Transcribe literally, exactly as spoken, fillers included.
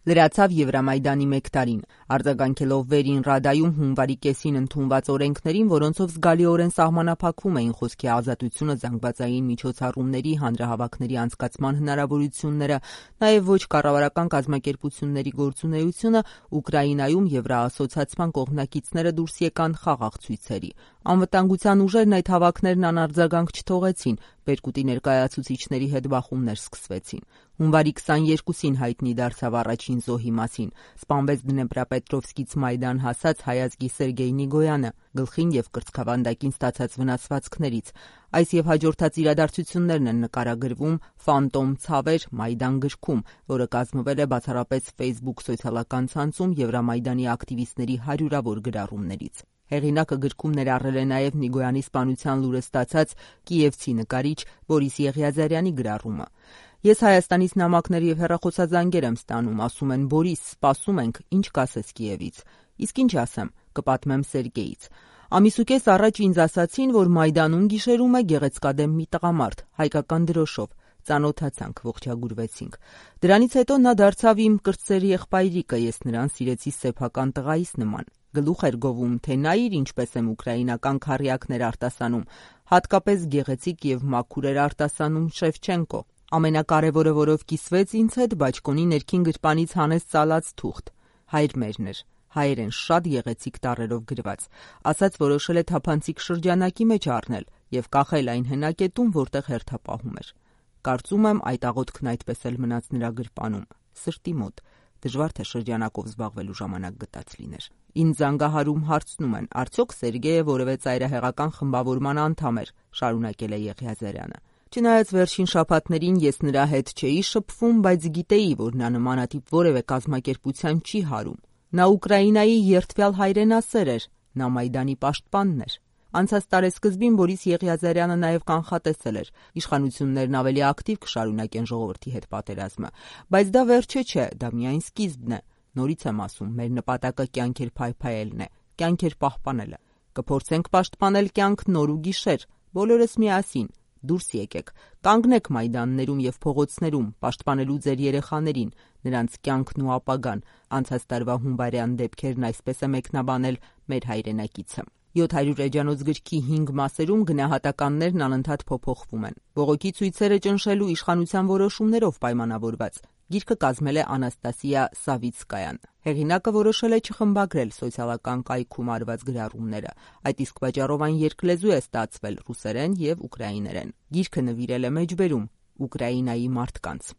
Լրացավ Եվրամայդանի մեկ տարին, արձագանքելով վերին Ռադայում հունվարի կեսին ընդունված օրենքներին, որոնցով զգալիորեն սահմանափակվում էին խոսքի ազատությունը, զանգվածային միջոցառումների, հանրահավաքների անցկացման հնարավորությունները, նաև ոչ կառավարական կազմակերպությունների գործունեությունը, Ուկրաինայում Եվրաասոցիացման կողմնակիցները դուրս եկան խաղաղ ցույցերի։ Անվտանգության ուժերն այդ հավաքներն անարձագանք չթողեցին, Բերկուտի ներկայացուցիչների հետ բախումներ սկսվեցին։ Հունվարի քսաներկուսին հայտնի դարձավ առաջին զոհի մասին։ Սպանվեց Դնեպրապետրովսկից Մայդան հասած հայազգի Սերգեյ Նիգոյանը, գլխին և կրծքավանդակին ստացած վնասվածքներից։ Այս և հաջորդած իրադարձություններն են նկարագրվում «Ֆանտոմ ցավեր. Մայդան» գրքում, որը կազմվել է բացառապես Facebook սոցիալական ցանցում Եվրամայդանի ակտիվիստների հարյուրավոր գրառումներից։ Հեղինակը գրքում ներառել է նաև Նիգոյանի սպանության լուրը ստացած կիևցի նկարիչ Բորիս Եղիազարյանի գրառումը։ Ես Հայաստանից նամակներ և հեռախոսազանգեր եմ ստանում, ասում են Բորիս, սպասում ենք, ինչ կասես Կիևից։ Իսկ ինչ ասեմ, կպատմեմ Սերգեյից։ Ամիս ու կես առաջ ինձ ասացին, որ Մայդանում գիշերում է գեղեցկադեմ մի տղամարդ, հայկական դրոշով։ Ծանոթացանք, ողջագուրվեցինք։ Դրանից հետո նա դարձավ իմ կրտսեր եղբայրիկը, ես նրան սիրեցի սեփական տղայիս նման։ Գլուխ էր գովում, թե նայիր ինչպես եմ ուկրաինական քառյակներ արտասանում, հատկապես գեղեցիկ և մաքուր էր արտասանում Շևչենկո։ Ամենակարևորը, որով կիսվեց ինձ հետ, բաճկոնի ներքին գրպանից հանեց ծալած թուղթ։ Հայր մերն էր, հայերեն շատ գեղեցիկ տառերով գրված։ Ասաց որոշել է թափանցիկ շրջանակի մեջ առնել և կախել այն հենակետում, որտեղ հերթապահում էր։ Կարծում եմ այդ աղոթքն այդպես էլ մնաց նրա գրպանում, սրտի մոտ։ Դժվար թե շրջանակով զբաղվելու ժամանակ գտած լիներ։ Ինձ զանգահարում հարցնում են, արդյոք Սերգեյը որևէ ծայրահեղական խմբավորման անդամ էր, շարունակել է Եղիազարյանը։ Չնայած վերջին շաբաթներին ես նրա հետ չէի շփվում, բայց գիտեի, որ նա նմանատիպ որևէ կազմակերպության չի հարում։ Նա Ուկրաինայի երդվյալ հայրենասեր էր, նա Մայդանի պաշտպանն էր։ Անցած տարեսկզբին Բորիս Եղիազարյանը նաև կանխատեսել էր՝ իշխանություններն ավելի ակտիվ կշարունակեն ժողովրդի հետ պատերազմը։ Բայց դա վերջը չէ, դա միայն սկիզբն է։ Նորից եմ ասում, մեր նպատակը կյանքեր փայփայելն է, կյանքեր պահպանելը։ Կփորձենք պաշտպանել կյանք նոր ու գիշեր, բոլորս միասին։ Դուրս եկեք, կանգնեք մայդաններում և փողոցներում, պաշտպանելու ձեր երեխաներին, նրանց կյանքն ու ապագան։ Անցած տարվա հունվարյան դեպքերն այսպես է մեկնաբանել մեր հայրենակիցը։ յոթ հարյուր էջանոց գրքի հինգ մասերում գնահատականներն անընդհատ փոփոխվում են։ Բողոքի ցույցերը ճնշելու իշխանության որոշումներով պայմանավորված։ Գիրքը կազմել է Անաստասիա Սավիցկայան։ Հեղինակը որոշել է չխմբագրել սոցիալական կայքում արված գրառումները։ Այդ իսկ պատճառով այն երկլեզու է ստացվել՝ ռուսերեն և ուկրաիներեն։ Գիրքը նվիրել է մեջբերում Ուկրաինայի մարդկանց։